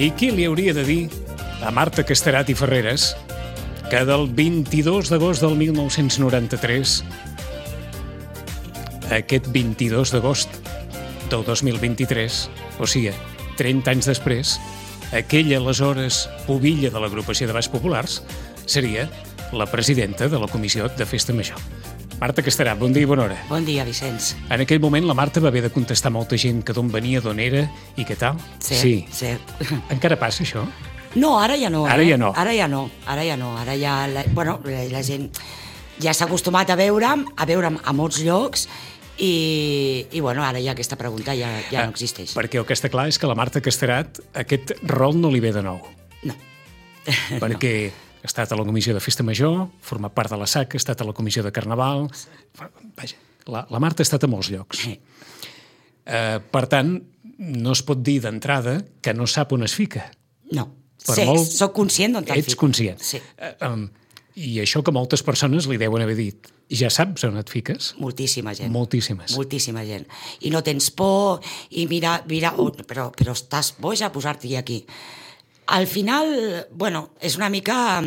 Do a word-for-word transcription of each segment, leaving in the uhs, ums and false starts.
I qui li hauria de dir a Marta Casterat i Ferreres que del vint-i-dos d'agost del mil nou-cents noranta-tres a aquest vint-i-dos d'agost del dos mil vint-i-tres, o sigui, trenta anys després, aquella aleshores pubilla de l'agrupació de Baix Populars seria la presidenta de la Comissió de Festa Major. Marta Casterat, bon dia i bona hora. Bon dia, Vicenç. En aquell moment la Marta va haver de contestar molta gent que d'on venia, d'on era i què tal. Cert, sí. cert. Encara passa això? No, ara ja no. Ara eh? ja no. Ara ja no, ara ja no. Ara ja, la, bueno, la, la gent ja s'ha acostumat a veure'm, a veure'm a molts llocs i, i bueno, ara ja aquesta pregunta ja, ja ah, no existeix. Perquè el que està clar és que la Marta Casterat aquest rol no li ve de nou. No. Perquè... no. Ha estat a la Comissió de Festa Major, format part de la S A C, ha estat a la Comissió de Carnaval... Vaja, la, la Marta ha estat a molts llocs. Sí. Uh, per tant, no es pot dir d'entrada que no sap on es fica. No, per sí, molt... soc conscient d'on te'n Ets fico. conscient. Sí. Uh, um, I això que moltes persones li deuen haver dit. Ja saps on et fiques? Moltíssima gent. Moltíssimes. Moltíssima gent. I no tens por, i mira, mira oh, però, però estàs boja a posar-t'hi aquí. Al final, bueno, és una mica...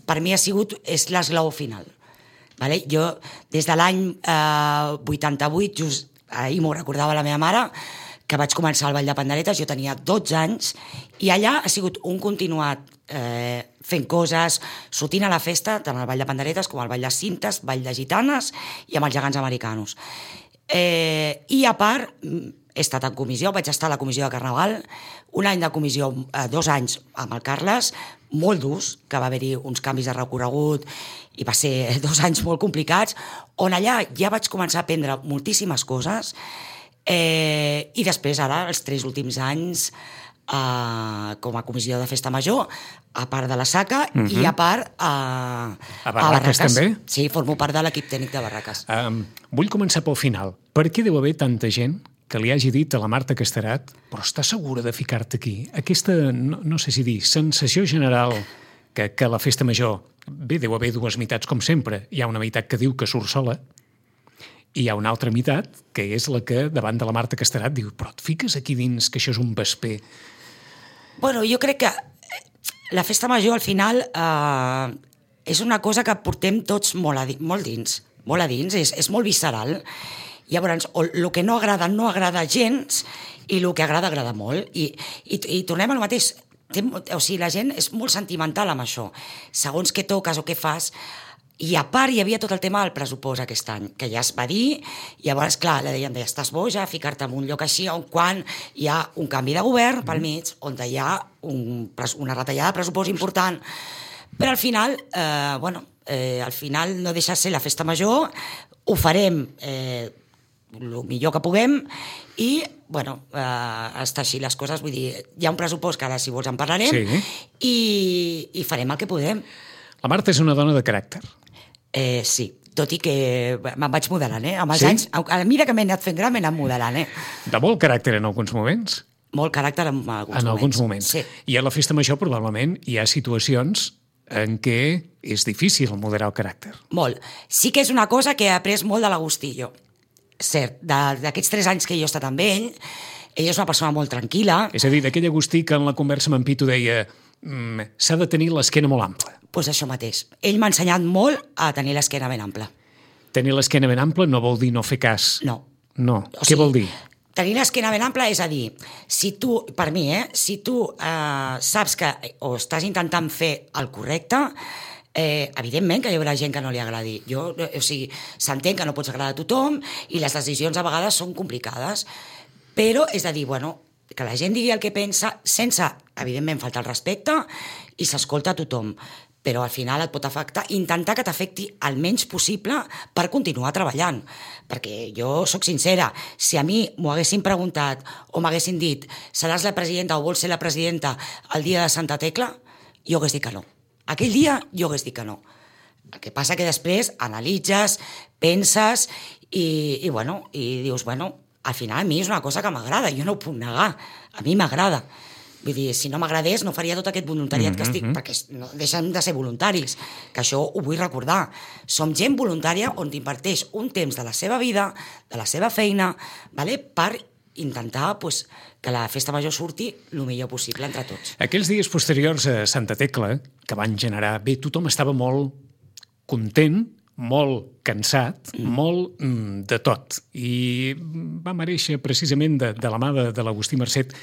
Per mi ha sigut... És l'esglaó final. Vale? Jo, des de l'any eh, vuitanta-vuit, just ahir m'ho recordava la meva mare, que vaig començar al Ball de Panderetes, jo tenia dotze anys, i allà ha sigut un continuat eh, fent coses, sortint a la festa, tant al Ball de Panderetes com al Ball de Cintes, Ball de Gitanes i amb els gegants americanos. Eh, I a part... He estat en comissió, vaig estar a la comissió de Carnaval, un any de comissió, eh, dos anys amb el Carles, molt durs, que va haver-hi uns canvis de recorregut i va ser dos anys molt complicats, on allà ja vaig començar a aprendre moltíssimes coses eh, i després ara, els tres últims anys, eh, com a comissió de Festa Major, a part de la S A C uh-huh. i a part eh, a Barraques, a Barraques també? Sí, formo part de l'equip tècnic de Barraques. Um, vull començar pel final. Per què deu haver tanta gent que li hagi dit a la Marta Casterat però està segura de ficar-te aquí? Aquesta, no, no sé si dir, sensació general que, que a la Festa Major, bé, deu haver dues meitats com sempre. Hi ha una meitat que diu que surt sola i hi ha una altra meitat que és la que davant de la Marta Casterat diu però et fiques aquí dins que això és un vesper. Bueno, jo crec que la Festa Major al final eh, és una cosa que portem tots molt, a di- molt dins, molt a dins, és, és molt visceral. Llavors, el que no agrada, no agrada gens, i el que agrada, agrada molt. I, i, i tornem al mateix. Té, o sigui, la gent és molt sentimental amb això. Segons què toques o què fas. I a part hi havia tot el tema del pressupost aquest any, que ja es va dir, i llavors, clar, la deien, estàs boja, ficar-te en un lloc així on quan hi ha un canvi de govern pel mig, on hi ha un, una retallada de pressupost important. Però al final, eh, bueno, eh, al final no deixa de ser la Festa Major, ho farem... Eh, el millor que puguem i, bueno, eh, està així les coses, vull dir, hi ha un pressupost que ara si vols en parlarem sí. i, i farem el que podem. La Marta és una dona de caràcter. Eh, sí, tot i que me'n vaig modelant, eh? Amb els sí? anys, a la mira que m'he anat fent gran, m'he anat modelant, eh? De molt caràcter en alguns moments? Molt caràcter en alguns en moments. alguns moments. Sí. I a la Festa Major probablement hi ha situacions en què és difícil moderar el caràcter. Molt. Sí que és una cosa que he après molt de l'Agustillo. Cert, d'aquests tres anys que jo he estat amb ell, ell és una persona molt tranquil·la. És a dir, d'aquell Agustí que en la conversa amb en Pitu deia mm, s'ha de tenir l'esquena molt ampla. Doncs pues això mateix. Ell m'ha ensenyat molt a tenir l'esquena ben ampla. Tenir l'esquena ben ampla no vol dir no fer cas. No. No. O Què sigui, vol dir? Tenir l'esquena ben ampla és a dir, si tu, per mi, eh, si tu eh, saps que o estàs intentant fer el correcte, Eh, evidentment que hi haurà gent que no li agradi. Jo, o sigui, s'entén que no pots agradar a tothom i les decisions a vegades són complicades, però és a dir, bueno, que la gent digui el que pensa sense, evidentment, faltar el respecte i s'escolta a tothom, però al final et pot afectar, intentar que t'afecti el menys possible per continuar treballant, perquè jo sóc sincera, si a mi m'ho haguessin preguntat o m'haguessin dit seràs la presidenta o vols ser la presidenta el dia de Santa Tecla, jo hagués dit que no. Aquell dia jo hagués dit que no. El que passa que després analitzes, penses i, i, bueno, i dius, bueno, al final a mi és una cosa que m'agrada, jo no ho puc negar, a mi m'agrada. Vull dir, si no m'agradés no faria tot aquest voluntariat mm-hmm. que estic, perquè no deixem de ser voluntaris, que això ho vull recordar. Som gent voluntària on t'inverteix un temps de la seva vida, de la seva feina, vale? Per intentar pues, que la festa major surti el millor possible entre tots. Aquells dies posteriors a Santa Tecla, que van generar... Bé, tothom estava molt content, molt cansat, mm. molt mm, de tot. I va mereixer precisament de, de la mà de, de l'Agustí Marcet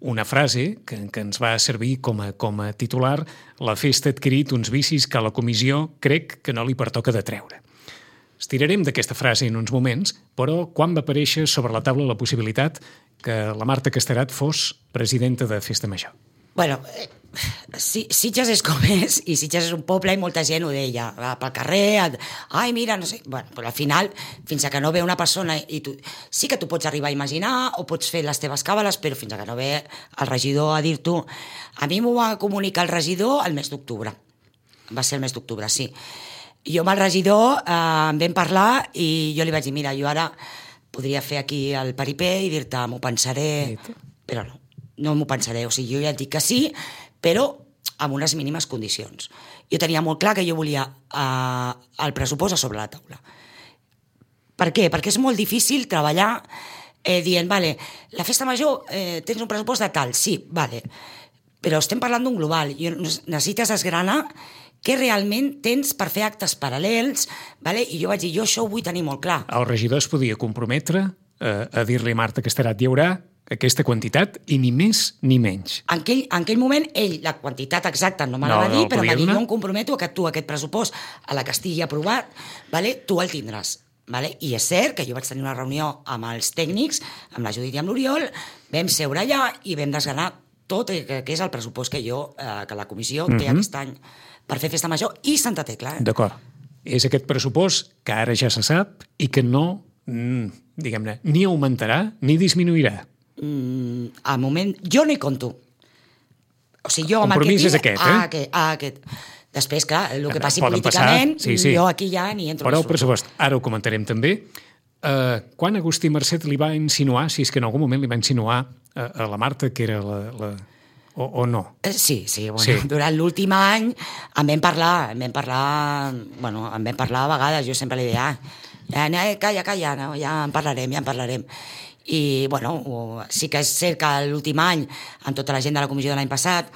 una frase que, que ens va servir com a, com a titular: la festa ha adquirit uns vicis que a la comissió crec que no li pertoca de treure. Estirarem d'aquesta frase en uns moments, però quan va aparèixer sobre la taula la possibilitat que la Marta Casterat fos presidenta de Festa Major? Bueno, eh, Sitges és com és, i Sitges és un poble i molta gent ho deia, va pel carrer, ai, mira, no sé... Bueno, però al final, fins a que no ve una persona, i tu, sí que tu pots arribar a imaginar o pots fer les teves càbales, però fins a que no ve el regidor a dir-t'ho... A mi m'ho va comunicar el regidor el mes d'octubre. Va ser el mes d'octubre, sí. Jo amb el regidor eh, em vam parlar i jo li vaig dir, mira, jo ara podria fer aquí el paripé i dir-te, m'ho pensaré, però no, no m'ho pensaré. O sigui, jo ja et dic que sí, però amb unes mínimes condicions. Jo tenia molt clar que jo volia eh, el pressupost a sobre la taula. Per què? Perquè és molt difícil treballar eh, dient, vale, la festa major eh, tens un pressupost de tal, sí, vale, però estem parlant d'un global, i necessites desgranar què realment tens per fer actes paral·lels, vale? I jo vaig dir, jo això ho vull tenir molt clar. El regidor es podia comprometre eh, a dir-li a Marta Casterat, hi haurà aquesta quantitat i ni més ni menys. En aquell, en aquell moment, ell, la quantitat exacta no me la va dir, no, però m'ha dit, jo em comprometo que tu aquest pressupost, a la que estigui aprovat, vale? Tu el tindràs. Vale? I és cert que jo vaig tenir una reunió amb els tècnics, amb la Judit i amb l'Oriol, vam seure allà i vam desgranar tot el que és el pressupost que jo, eh, que la comissió té mm-hmm. aquest any per fer Festa Major i Santa Tecla. Eh? D'acord. És aquest pressupost que ara ja se sap i que no, diguem-ne, ni augmentarà ni disminuirà. Mm, al moment, jo no hi compto. O sigui, jo amb el que compromís tinc... és aquest, eh? Ah, aquest, ah, aquest. Després, clar, el que passi Poden políticament, passar, sí, sí. jo aquí ja ni entro. Però el pressupost, ara ho comentarem també. Uh, quan Agustí Marcet li va insinuar, si és que en algun moment li va insinuar a, a la Marta que era la... la... O, o no? Sí, sí, bueno, sí. Durant l'últim any en vam parlar, en vam parlar, bueno, en vam parlar a vegades, jo sempre li deia, ah, ja, calla, calla, no, ja en parlarem, ja en parlarem. I, bueno, sí que és cert que l'últim any, amb tota la gent de la comissió de l'any passat,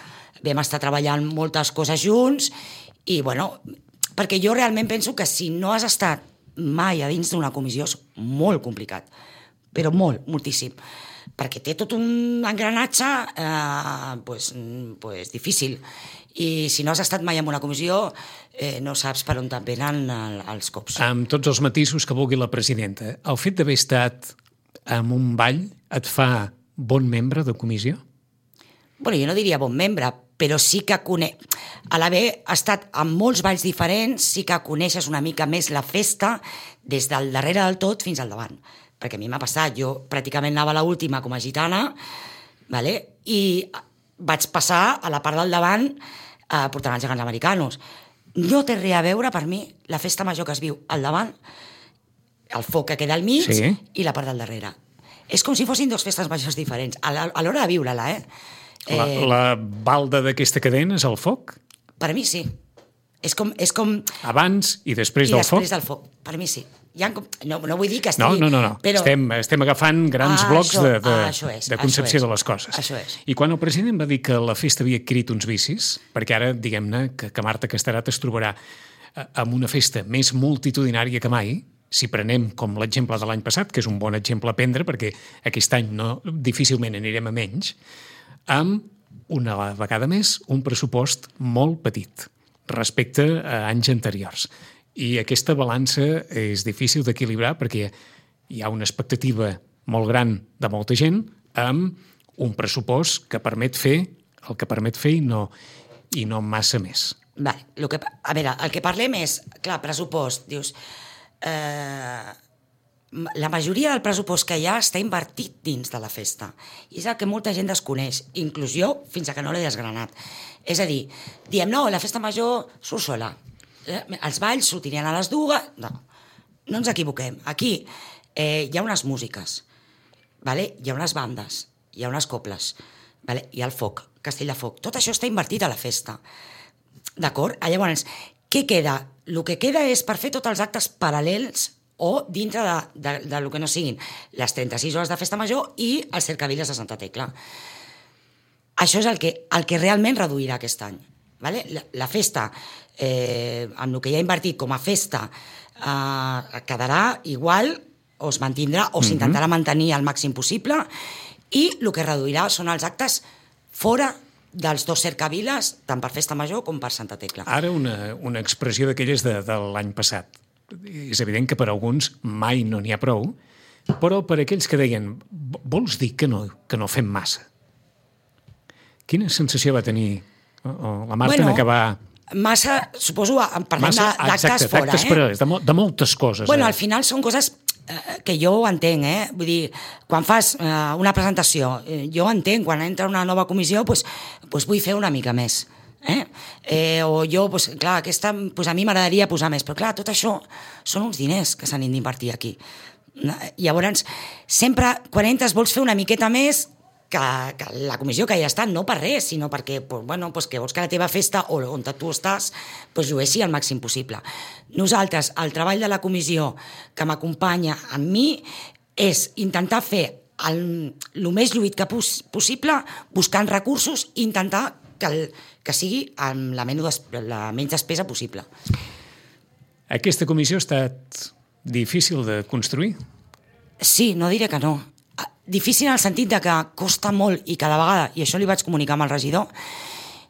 vam estar treballant moltes coses junts i, bueno, perquè jo realment penso que si no has estat mai a dins d'una comissió és molt complicat, però molt, moltíssim. Perquè té tot un engranatge eh, pues, pues, difícil. I si no has estat mai en una comissió, eh, no saps per on te'n venen el, els cops. Amb tots els matisos que vulgui la presidenta, el fet d'haver estat en un ball et fa bon membre de comissió? Bueno, jo no diria bon membre, però sí que conec... A l'haver estat en molts balls diferents, sí que coneixes una mica més la festa des del darrere del tot fins al davant. Perquè a mi m'ha passat, jo pràcticament anava a l'última com a gitana, vale? I vaig passar a la part del davant eh, portant els gegants americanos. No té res a veure, per mi, la festa major que es viu al davant, el foc que queda al mig, sí, i la part del darrere. És com si fossin dues festes majors diferents, a l'hora de viure-la, eh? La, eh... la balda d'aquesta cadena és el foc? Per mi sí. És com, és com... Abans i després I del foc? I després del foc, per mi sí. Ja, no, no vull dir que estigui... No, no, no, no. Però... Estem, estem agafant grans ah, blocs això, de, de, ah, és, de concepció és, de les coses. Això és. I quan el president va dir que la festa havia adquirit uns vicis, perquè ara, diguem-ne, que, que Marta Casterat es trobarà amb una festa més multitudinària que mai, si prenem com l'exemple de l'any passat, que és un bon exemple a prendre, perquè aquest any no, difícilment anirem a menys, amb una vegada més un pressupost molt petit respecte a anys anteriors. I aquesta balança és difícil d'equilibrar perquè hi ha una expectativa molt gran de molta gent amb un pressupost que permet fer el que permet fer i no, i no massa més. Vale, lo que, a veure, el que parlem és, clar, pressupost, dius, eh, la majoria del pressupost que hi ha està invertit dins de la festa. I és el que molta gent desconeix, inclús jo, fins a que no l'he desgranat. És a dir, diem, no, la festa major surt sola. Eh, els balls sortirien a les dues... No, no ens equivoquem. Aquí eh, hi ha unes músiques, vale? Hi ha unes bandes, hi ha unes coples, vale? Hi ha el foc, castell de foc. Tot això està invertit a la festa. D'acord? Llavors, què queda? El que queda és per fer tots els actes paral·lels o dintre de, de, de lo que no siguin les trenta-sis hores de festa major i els cercaviles de Santa Tecla. Això és el que, el que realment reduirà aquest any. Vale? La, la festa, eh, amb el que ja he invertit com a festa, eh, quedarà igual o es mantindrà o s'intentarà mantenir al màxim possible, i el que reduirà són els actes fora dels dos cercaviles, tant per Festa Major com per Santa Tecla. Ara una, una expressió d'aquelles de, de l'any passat. És evident que per alguns mai no n'hi ha prou, però per aquells que deien vols dir que no, que no fem massa? Quina sensació va tenir la Marta bueno, en acabar... Massa, suposo, parlem d'actes fora. D'actes eh? per, de, de moltes coses. Bueno, eh? al final són coses que jo ho entenc, eh? Vull dir, quan fas eh, una presentació, eh, jo entenc, quan entra una nova comissió, pues, pues vull fer una mica més. Eh? Eh, o jo, pues, clar, aquesta, pues a mi m'agradaria posar més, però clar, tot això són uns diners que s'han d'invertir aquí. Llavors, sempre, quan entres, vols fer una miqueta més que, que la comissió que hi ha estat, no per res, sinó perquè pues, bueno, pues que vols que la teva festa, o on tu estàs, pues, llueixi al màxim possible. Nosaltres, el treball de la comissió que m'acompanya amb mi és intentar fer el, el més lluït que pos, possible, buscant recursos i intentar que, el, que sigui amb la, menys, la menys despesa possible. Aquesta comissió ha estat difícil de construir? Sí, no diré que no. Difícil en el sentit de que costa molt i cada vegada, i això li vaig comunicar amb el regidor,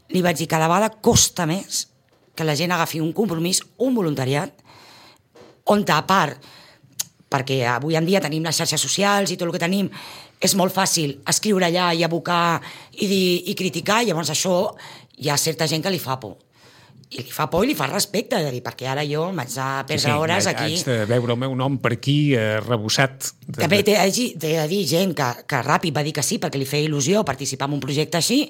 li vaig dir cada vegada costa més que la gent agafi un compromís, un voluntariat, on a part, perquè avui en dia tenim les xarxes socials i tot el que tenim, és molt fàcil escriure allà i abocar i, dir, i criticar, i llavors això hi ha certa gent que li fa por. I li fa por i li fa respecte, és a dir, perquè ara jo m'haig de perdre sí, sí, hores aquí... Haig de veure el meu nom per aquí, eh, rebossat. De... També t'he de dir gent que, que ràpid va dir que sí, perquè li feia il·lusió participar en un projecte així,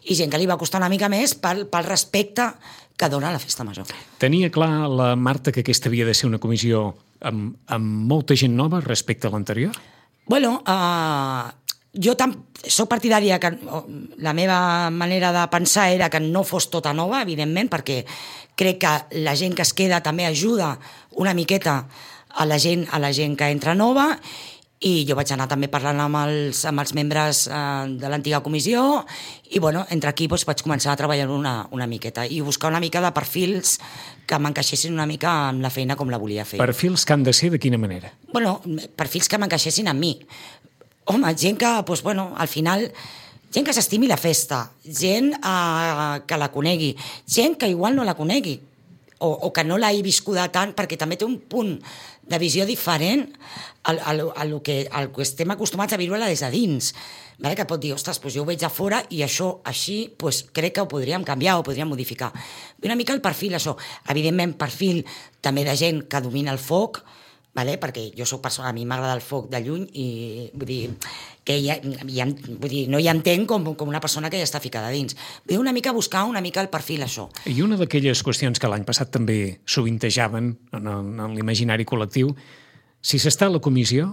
i gent que li va costar una mica més pel, pel respecte que dona la Festa Major. Tenia clar la Marta que aquesta havia de ser una comissió amb, amb molta gent nova respecte a l'anterior? Bueno, uh, jo tam, soc partidària que la meva manera de pensar era que no fos tota nova, evidentment, perquè crec que la gent que es queda també ajuda una miqueta a la gent, a la gent que entra nova, i jo vaig anar també parlant amb els, amb els membres eh, de l'antiga comissió, i bueno, entre aquí doncs, vaig començar a treballar una, una miqueta i buscar una mica de perfils que m'encaixessin una mica amb la feina com la volia fer. Perfils que han de ser de quina manera? Bueno, perfils que m'encaixessin amb mi. Home, gent que, doncs, bueno, al final, gent que s'estimi la festa, gent eh, que la conegui, gent que igual no la conegui, o, o que no l'hagi viscuda tant, perquè també té un punt de visió diferent al, al, al, que, al que estem acostumats a viure-la des de dins. Vale? Que pot dir, ostres, doncs jo ho veig a fora i això així doncs crec que ho podríem canviar, ho podríem modificar. Una mica el perfil, això. Evidentment, perfil també de gent que domina el foc, vale? Perquè jo soc persona, a mi m'agrada el foc de lluny i vull dir, que ja, ja, vull dir, no hi entenc com, com una persona que ja està ficada dins. Vull dir, una mica buscar una mica el perfil, això. I una d'aquelles qüestions que l'any passat també sovintejaven en, en l'imaginari col·lectiu, si s'està a la comissió,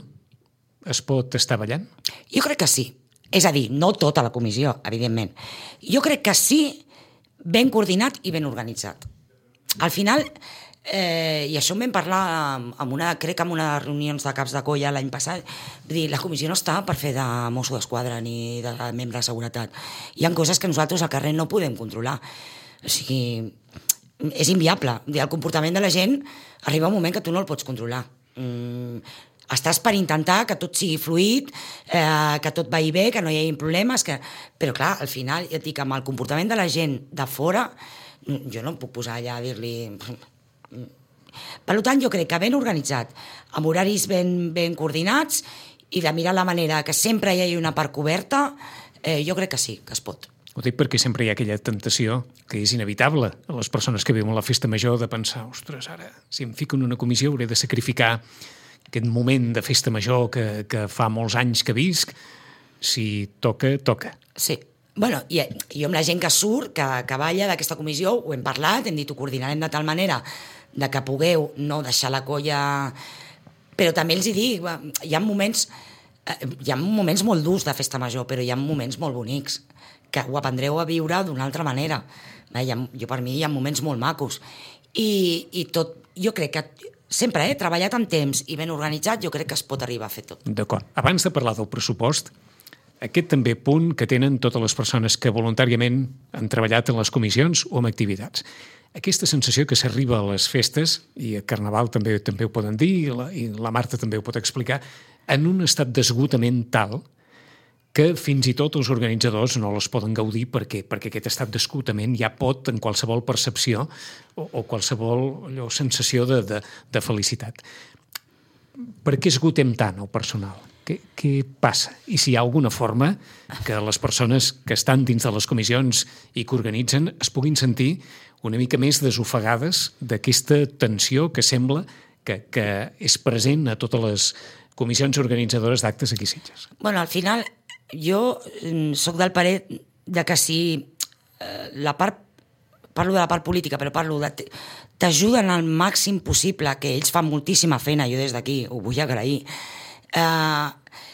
es pot estar ballant? Jo crec que sí. És a dir, no tota la comissió, evidentment. Jo crec que sí, ben coordinat i ben organitzat. Al final... Eh, i això en vam parlar amb una, crec que en una reunions de caps de colla l'any passat. Vull dir, la comissió no està per fer de mosso d'esquadra ni de membre de seguretat. Hi ha coses que nosaltres al carrer no podem controlar, o sigui, és inviable. El comportament de la gent arriba un moment que tu no el pots controlar. mm, estàs per intentar que tot sigui fluid, eh, que tot vagi bé, que no hi hagi problemes, que... però clar, al final, ja et dic, amb el comportament de la gent de fora, jo no em puc posar allà a dir-li... Per tant, jo crec que ben organitzat, amb horaris ben, ben coordinats i de mirar la manera que sempre hi hagi una part coberta, eh, jo crec que sí, que es pot. Ho dic perquè sempre hi ha aquella tentació que és inevitable a les persones que viuen la festa major de pensar, ostres, ara, si em fico en una comissió hauré de sacrificar aquest moment de festa major que, que fa molts anys que visc. Si toca, toca. Sí. Bueno, i jo amb la gent que surt, que, que balla d'aquesta comissió, ho hem parlat, hem dit, ho coordinarem de tal manera de que pugueu no deixar la colla... Però també els hi dic, hi ha moments, hi ha moments molt durs de festa major, però hi ha moments molt bonics, que ho aprendreu a viure d'una altra manera. Jo, per mi, hi ha moments molt macos. I, i tot, jo crec que sempre, eh, treballat amb temps i ben organitzat, jo crec que es pot arribar a fer tot. D'acord. Abans de parlar del pressupost, aquest també punt que tenen totes les persones que voluntàriament han treballat en les comissions o en activitats. Aquesta sensació que s'arriba a les festes, i a Carnaval també també ho poden dir, i la, i la Marta també ho pot explicar, en un estat d'esgotament tal que fins i tot els organitzadors no les poden gaudir perquè, perquè aquest estat d'esgotament ja pot, en qualsevol percepció o, o qualsevol allò, sensació de, de, de felicitat. Per què esgotem tant el personal? Què, què passa? I si hi ha alguna forma que les persones que estan dins de les comissions i que organitzen es puguin sentir una mica més desofegades d'aquesta tensió que sembla que, que és present a totes les comissions organitzadores d'actes aquí a Sitges. Bueno, al final, jo sóc del parer de que si eh, la part, parlo de la part política, però parlo de... t'ajuden al màxim possible, que ells fan moltíssima feina, jo des d'aquí ho vull agrair. Eh,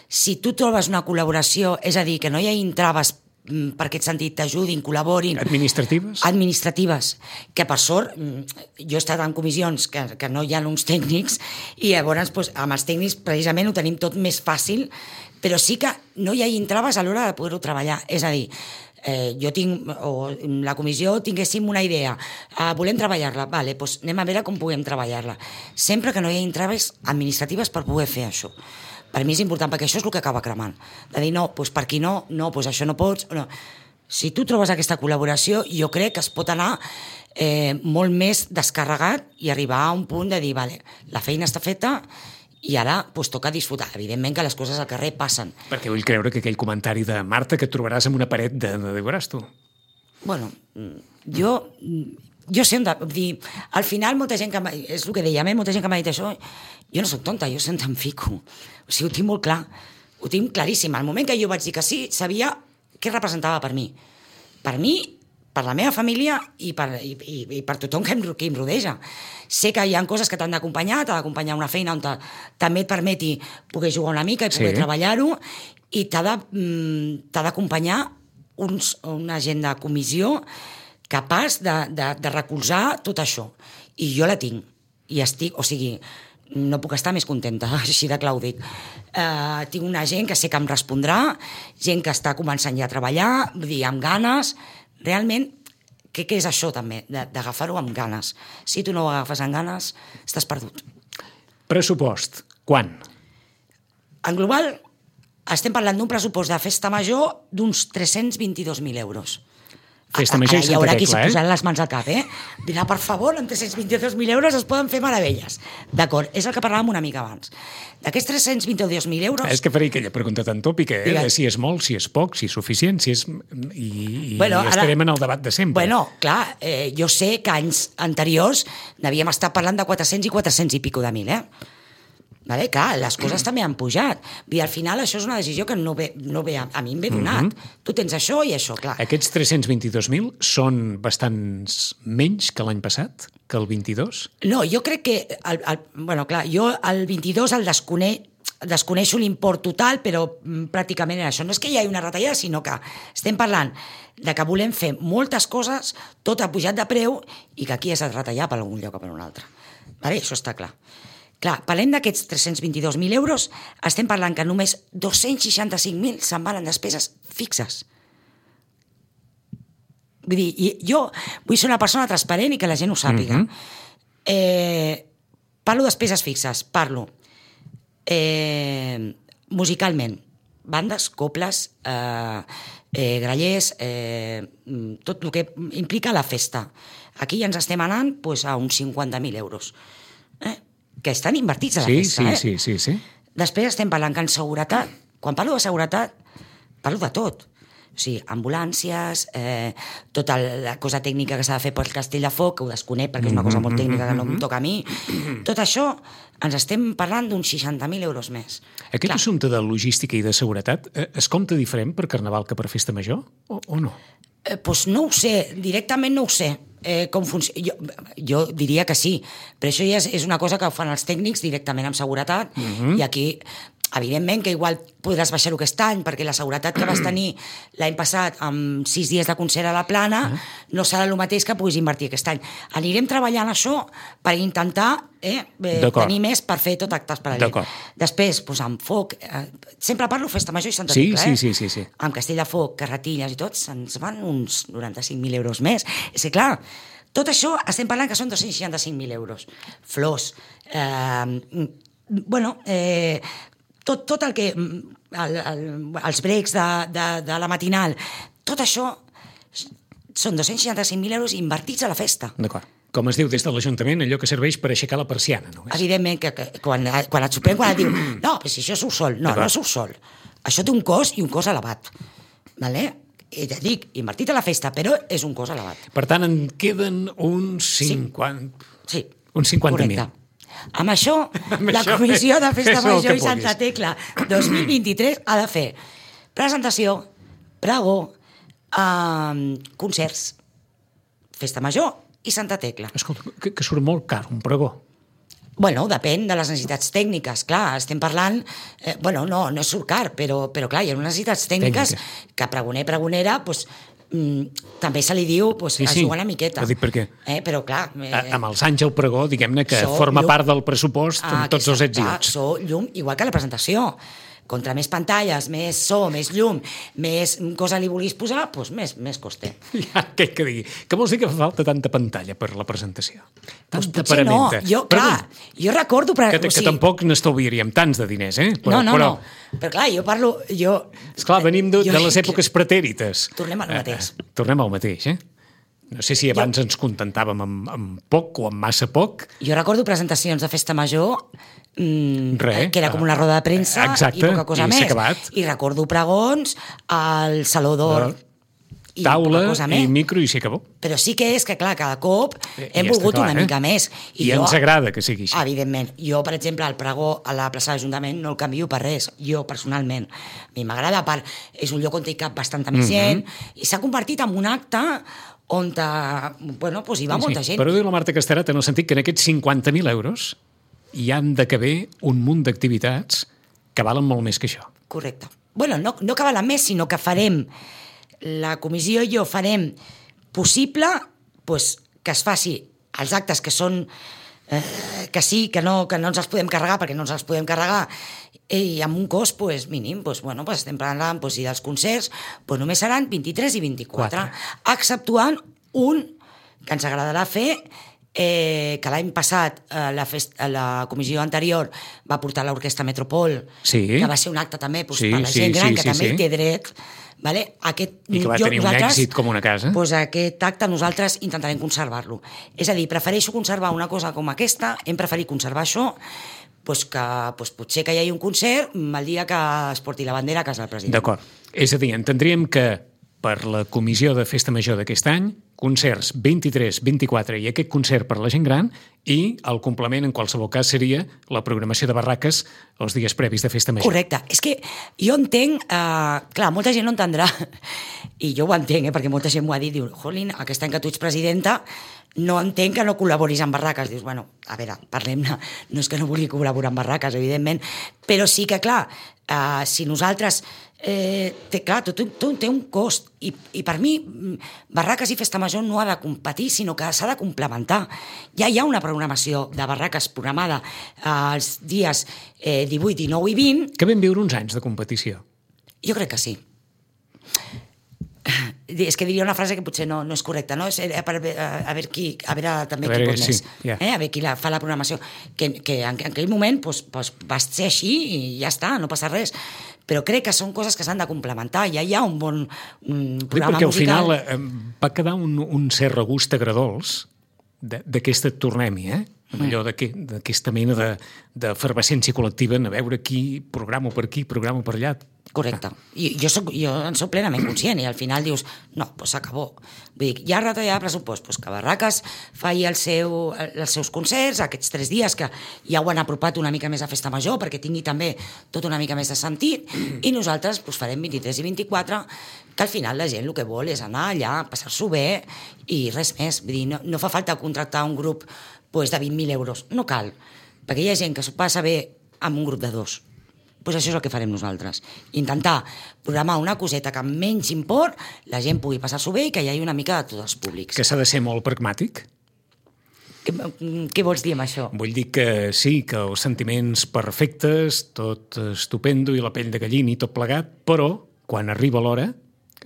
si tu trobes una col·laboració, és a dir, que no hi hagi traves per aquest sentit, t'ajudin, col·laborin... Administratives? Administratives, que per sort, jo he estat en comissions que, que no hi ha uns tècnics i llavors doncs, amb els tècnics precisament ho tenim tot més fàcil, però sí que no hi hagi traves a l'hora de poder-ho treballar. És a dir, eh, jo tinc, o la comissió tinguéssim una idea, eh, volem treballar-la, vale, doncs anem a veure com podem treballar-la. Sempre que no hi hagi traves administratives per poder fer això. Per mi és important, perquè això és el que acaba cremant. De dir, no, doncs per aquí no, no, doncs això no pots... No. Si tu trobes aquesta col·laboració, jo crec que es pot anar eh, molt més descarregat i arribar a un punt de dir, vale, la feina està feta i ara doncs, toca disfrutar. Evidentment que les coses al carrer passen. Perquè vull creure que aquell comentari de Marta que et trobaràs en una paret de... de, de veuràs tu. Bueno, jo... Jo sé on de, dir, al final molta gent que és el que dèiem, eh? Molta gent que m'ha dit això, jo no soc tonta, jo sempre em fico, o sigui, ho tinc molt clar, ho tinc claríssim. Al moment que jo vaig dir que sí, sabia què representava per mi, per mi, per la meva família i per, i, i, i per tothom que em, que em rodeja. Sé que hi ha coses que t'han d'acompanyar, t'ha d'acompanyar una feina on també et permeti poder jugar una mica i poder sí. treballar-ho, i t'ha d'acompanyar uns, una gent de comissió capaç de, de, de recolzar tot això. I jo la tinc. I estic, o sigui, no puc estar més contenta, així de clar ho dic. Uh, tinc una gent que sé que em respondrà, gent que està començant ja a treballar, vull dir, amb ganes. Realment, què, què és això també? D'agafar-ho amb ganes. Si tu no ho agafes amb ganes, estàs perdut. Pressupost. Quan? En global, estem parlant d'un pressupost de festa major d'uns tres-cents vint-i-dos mil euros. Festa major i Santa Tecla, eh? Hi haurà qui s'hi posaran les mans al cap, eh? Dirà, per favor, amb tres-cents vint-i-dos mil euros es poden fer meravelles. D'acord, és el que parlàvem una mica abans. D'aquests tres-cents vint-i-dos mil euros... És que faré aquella pregunta tan tòpica, eh? Si és molt, si és poc, si és suficient, si és... I, i bueno, estarem ara... en el debat de sempre. Bueno, clar, eh, jo sé que anys anteriors n'havíem estat parlant de quatre-cents i quatre-cents i pico de mil, eh? Vale, clar, les coses també han pujat. I al final això és una decisió que no ve, no ve a, a mi em ve donat. Mm-hmm. Tu tens això i això, clar. Aquests tres-cents vint-i-dos mil són bastants menys que l'any passat, que el vint-i-dos? No, jo crec que... El, el, bueno, clar, jo el vint-i-dos el desconec, desconeixo l'import total, però pràcticament era això. No és que hi hagi una retallada, sinó que estem parlant de que volem fer moltes coses, tot ha pujat de preu i que aquí has de retallar per algun lloc o per un altre. Vale? Això està clar. Clar, parlem d'aquests tres-cents vint-i-dos mil euros, estem parlant que només dos-cents seixanta-cinc mil se'n van en despeses fixes. Vull dir, jo vull ser una persona transparent i que la gent ho sàpiga. Mm-hmm. eh, parlo de despeses fixes, parlo eh, musicalment, bandes, coples, eh, eh, grallers, eh, tot el que implica la festa. Aquí ja ens estem anant pues, a uns cinquanta mil euros. Eh? Que estan invertits a la sí, festa, sí, eh? Sí, sí, sí. Després estem parlant que en seguretat, quan parlo de seguretat, parlo de tot. O sigui, ambulàncies, eh, tota la cosa tècnica que s'ha de fer pel Castell de Foc, que ho desconec perquè és una cosa molt tècnica que no em toca a mi. Tot això ens estem parlant d'uns seixanta mil euros més. Aquest Clar. assumpte de logística i de seguretat es compta diferent per Carnaval que per Festa Major o, o no? Eh, doncs no ho sé, directament no ho sé. Eh, com funciona. Jo, jo diria que sí, però això ja és, és una cosa que ho fan els tècnics directament amb seguretat, uh-huh. i aquí evidentment que igual podràs baixar-ho aquest any, perquè la seguretat que vas tenir l'any passat amb sis dies de concert a la Plana uh -huh. no serà el mateix que puguis invertir aquest any. Anirem treballant això per intentar eh, eh, tenir més per fer tot actes paral·lels. Després, doncs, amb foc, eh, sempre parlo Festa Major i Santa sí, Tecla, sí, eh? sí, sí, sí. Amb Castell de Foc, Carretilles i tot, se'ns van uns noranta-cinc mil euros més. És que, clar, tot això estem parlant que són dos-cents seixanta-cinc mil euros. Flors, eh, bueno, eh, tot, tot el que... El, el, els breaks de, de, de la matinal, tot això són dos-cents seixanta-cinc mil euros invertits a la festa. D'acord. Com es diu des de l'Ajuntament, allò que serveix per aixecar la persiana, no? Evidentment, que, que quan, quan et sorprèn, quan et diu no, però si això surt sol. No, no surt sol. Això té un cost i un cost elevat. Vale? I ja dic, invertit a la festa, però és un cost elevat. Per tant, en queden uns cinquanta... Sí, sí. Uns cinquanta mil. Correcte. Amb això, amb la això, Comissió de Festa Major i Santa Tecla dos mil vint-i-tres ha de fer presentació, pregó, eh, concerts, Festa Major i Santa Tecla. Escolta, que, que surt molt car, un pregó. Bueno, depèn de les necessitats tècniques, clar, estem parlant... Eh, bueno, no, no surt car, però, però clar, hi ha unes necessitats tècniques Tècnica. que pregoner, pregonera, doncs, mm, també se li diu pues, sí, sí. a jugar una miqueta. Ho dic perquè eh, però, clar, eh, a, amb els anys el pregó, diguem-ne que forma llum, part del pressupost amb ah, tots els ets i uts. So, llum, igual que la presentació. Contra més pantalles, més so, més llum, més cosa li vulguis posar, doncs més, més coste. Ja, què que digui? Que vols dir que fa falta tanta pantalla per la presentació? Doncs potser no. Jo, clar, jo recordo... Que, que, o sigui, que tampoc n'estalviaríem tants de diners, eh? Però, no, no, però... no. Però clar, jo parlo... Jo, esclar, venim de, jo, de les èpoques pretèrites. Tornem al mateix. Eh, tornem al mateix, eh? No sé si abans jo... ens contentàvem amb, amb poc o amb massa poc. Jo recordo presentacions de Festa Major mmm, Re, que era com una roda de premsa exacte, i poca cosa i més. Acabat. I recordo pregons al Saló d'Or. I taula i micro i s'hi acabó. Però sí que és que, clar, cada cop I hem volgut clar, una eh? mica més. I, I jo, ens agrada que sigui així. Evidentment. Jo, per exemple, el pregó a la plaça de l'Ajuntament no el canvio per res, jo personalment. A mi m'agrada, per... és un lloc on hi cap bastanta més gent mm-hmm. i s'ha convertit en un acte on bueno, pues hi va sí, molta sí. gent. Però diu la Marta Casterat en el sentit que en aquests cinquanta mil euros hi han de caber un munt d'activitats que valen molt més que això. Correcte. Bueno, no, no que valen més, sinó que farem, la comissió i jo farem possible pues, que es faci els actes que són eh, que sí, que no, que no ens els podem carregar perquè no ens els podem carregar i amb un cost pues, mínim, pues, bueno, pues, estem parlant pues, i dels concerts pues, només seran vint-i-tres i vint-i-quatre, Quatre. exceptuant un que ens agradarà fer eh, que l'any passat eh, la, fest, la comissió anterior va portar l'Orquestra Metropol, sí. que va ser un acte també pues, sí, per la sí, gent gran, sí, que sí, també sí. hi té dret. Vale? Aquest, I que va jo, tenir un èxit com una casa. Pues aquest acte nosaltres intentarem conservar-lo. És a dir, prefereixo conservar una cosa com aquesta, hem preferit conservar això, pues que pues potser que hi hagi un concert el dia que es porti la bandera a casa del president. D'acord. És a dir, entendríem que per la comissió de Festa Major d'aquest any, concerts vint-i-tres, vint-i-quatre i aquest concert per la gent gran i el complement en qualsevol cas seria la programació de barraques els dies previs de Festa Major. Correcte. És que jo entenc... Eh, clar, molta gent no entendrà i jo ho entenc, eh, perquè molta gent m'ho ha dit, diu, jolín, aquest any que tu ets presidenta no entenc que no col·laboris amb barraques. Dius, bueno, a veure, parlem-ne. No és que no vulgui col·laborar amb barraques, evidentment, però sí que, clar, eh, si nosaltres... Eh, té, clar, tot, tot té un cost i, i per mi barraques i Festa Major no ha de competir sinó que s'ha de complementar. Ja hi ha una programació de barraques programada els dies eh, divuit, dinou i vint. Que vam viure uns anys de competició. Jo crec que sí. És que diria una frase que potser no, no és correcta, no? És, a, veure, a veure qui, a veure també a veure, qui pot sí, més, yeah. eh? A veure qui la, fa la programació, que, que en, en aquell moment pues, pues, va ser així i ja està, no passa res. Però crec que són coses que s'han de complementar. Ja hi ha un bon un programa perquè musical. Perquè al final eh, va quedar un, un cert regust agradols d'aquesta tornem-hi, eh? Allò d'aquesta mena d'efervescència col·lectiva, a veure qui programa per aquí, programa per allà. Correcte. I jo, soc, jo en soc plenament conscient i al final dius, no, doncs s'acabó. Vull dir, hi ha retallada de pressupost, doncs que Barraques faci el seu, els seus concerts aquests tres dies que ja ho han apropat una mica més a Festa Major perquè tingui també tot una mica més de sentit i nosaltres doncs, farem vint-i-tres i vint-i-quatre que al final la gent el que vol és anar allà, passar-s'ho bé i res més. Vull dir, no, no fa falta contractar un grup doncs, de vint mil euros, no cal, perquè hi ha gent que s'ho passa bé amb un grup de dos. doncs això és el que farem nosaltres. Intentar programar una coseta que amb menys import la gent pugui passar-s'ho bé i que hi hagi una mica de tots els públics. Que s'ha de ser molt pragmàtic? Què, què vols dir amb això? Vull dir que sí, que els sentiments perfectes, tot estupendo i la pell de gallina i tot plegat, però quan arriba l'hora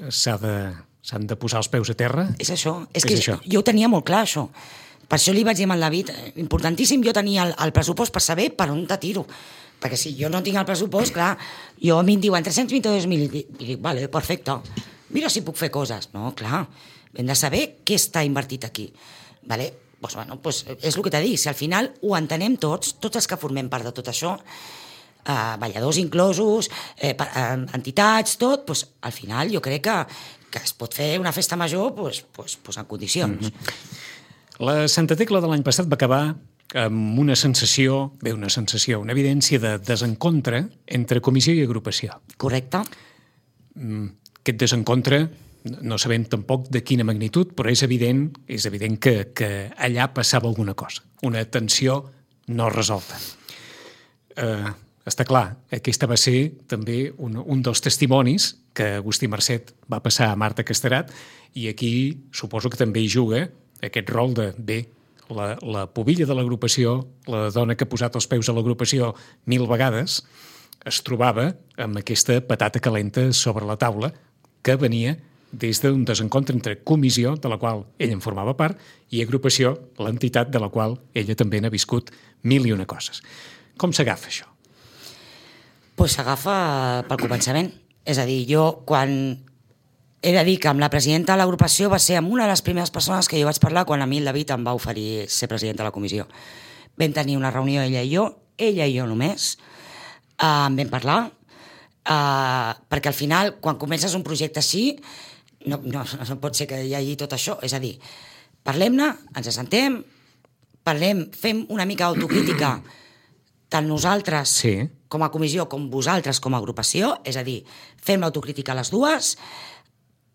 s'ha de, s'han de posar els peus a terra. És això. És, és que això. Jo ho tenia molt clar, això. Per això li vaig dir al David, importantíssim jo tenia el, el pressupost per saber per on te tiro. Perquè si jo no tinc el pressupost, clar, jo a mi em diuen tres-cents vint-i-dos mil i dic, vale, perfecte, mira si puc fer coses. No, clar, hem de saber què està invertit aquí. Vale? Pues, bueno, pues és el que t'he dit, si al final ho entenem tots, tots els que formem part de tot això, eh, balladors inclosos, eh, entitats, tot, pues, al final jo crec que, que es pot fer una festa major pues, pues, pues en condicions. Mm-hmm. La Santa Tecla de l'any passat va acabar amb una sensació, bé, una sensació, una evidència de desencontre entre comissió i agrupació. Correcte. Aquest desencontre, no sabem tampoc de quina magnitud, però és evident, és evident que, que allà passava alguna cosa, una tensió no resolta. Eh, està clar, aquesta va ser també un, un dels testimonis que Agustí Marcet va passar a Marta Casterat, i aquí suposo que també hi juga aquest rol de, bé, la, la pubilla de l'agrupació, la dona que ha posat els peus a l'agrupació mil vegades, es trobava amb aquesta patata calenta sobre la taula que venia des d'un desencontre entre comissió, de la qual ella en formava part, i agrupació, l'entitat de la qual ella també n'ha viscut mil i una coses. Com s'agafa això? Pues s'agafa pel començament. És a dir, jo quan... He de dir que amb la presidenta de l'agrupació va ser amb una de les primeres persones que jo vaig parlar quan a mi el David em va oferir ser presidenta de la comissió. Vam tenir una reunió ella i jo, ella i jo només, uh, en vam parlar, uh, perquè al final, quan comences un projecte així, no, no, no pot ser que hi hagi tot això. És a dir, parlem-ne, ens assentem, parlem, fem una mica d'autocrítica, tant nosaltres sí. com a comissió com vosaltres com a agrupació, és a dir, fem l'autocrítica a les dues,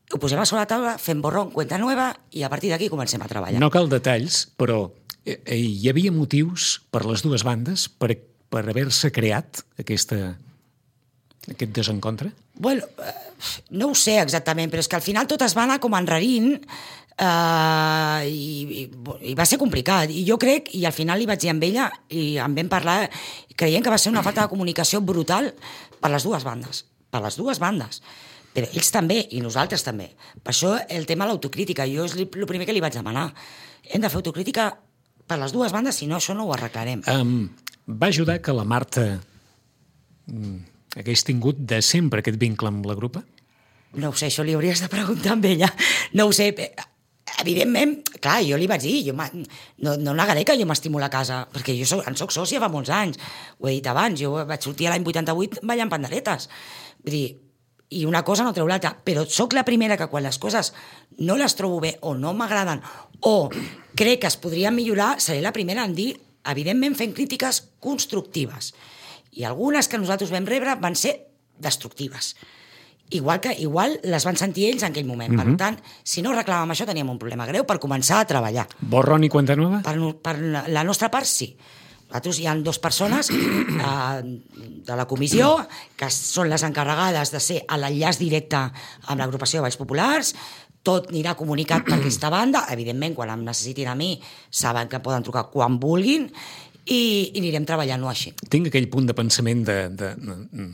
ho posem a sobre la taula, fem borrón, cuenta nueva, i a partir d'aquí comencem a treballar. No cal detalls, però eh, hi havia motius per les dues bandes per, per haver-se creat aquesta, aquest desencontre? Bueno, no ho sé exactament, però és que al final tot es va anar com enrarint eh, i, i, i va ser complicat. I jo crec, i al final li vaig dir amb ella, i en vam parlar, creient que va ser una falta de comunicació brutal per les dues bandes. Per les dues bandes. Però ells també, i nosaltres també. Per això el tema de l'autocrítica, jo és el primer que li vaig demanar. Hem de fer autocrítica per les dues bandes, si no, això no ho arreglarem. Um, va ajudar que la Marta um, hagués tingut de sempre aquest vincle amb la grupa? No ho sé, això li hauries de preguntar amb ella. No ho sé, evidentment, clar, jo li vaig dir, jo no, no negaré que jo m'estimo la casa, perquè jo soc, en soc sòcia fa molts anys, ho he dit abans, jo vaig sortir l'any vuitanta-vuit ballant panderetes. Vull dir, i una cosa no treu l'altra, però sóc la primera que quan les coses no les trobo bé o no m'agraden o crec que es podrien millorar, seré la primera en dir, evidentment fent crítiques constructives. I algunes que nosaltres vam rebre van ser destructives. Igual que igual les van sentir ells en aquell moment. Mm-hmm. Per tant, si no reclamàvem això, teníem un problema greu per començar a treballar. Borrón i cuenta nueva? Per, per la nostra part, sí. Nosaltres hi ha dues persones eh, de la comissió que són les encarregades de ser a l'enllaç directe amb l'agrupació de Balls Populars. Tot anirà comunicat per aquesta banda. Evidentment, quan em necessitin a mi, saben que poden trucar quan vulguin i, i anirem treballant-ho així. Tinc aquell punt de pensament de... de, de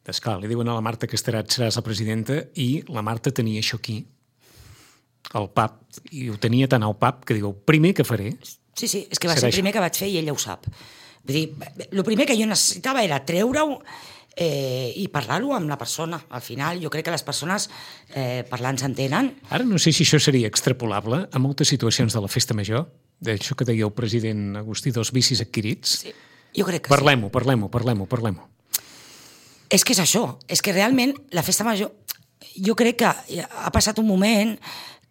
d'esclar, li diuen a la Marta Casterat seràs la presidenta i la Marta tenia això aquí, al pap, i ho tenia tan al pap que diu, primer que faré... Sí, sí, és que va ser el primer que vaig fer i ella ho sap. Vull dir, el primer que jo necessitava era treure-ho eh, i parlar-ho amb la persona. Al final, jo crec que les persones eh, parlant s'entenen. Ara no sé si això seria extrapolable a moltes situacions de la festa major, d'això que deia el president Agustí dels vicis adquirits. Sí, jo crec que parlem-ho, sí. Parlem-ho, parlem-ho, parlem-ho. És que és això, és que realment la festa major, jo crec que ha passat un moment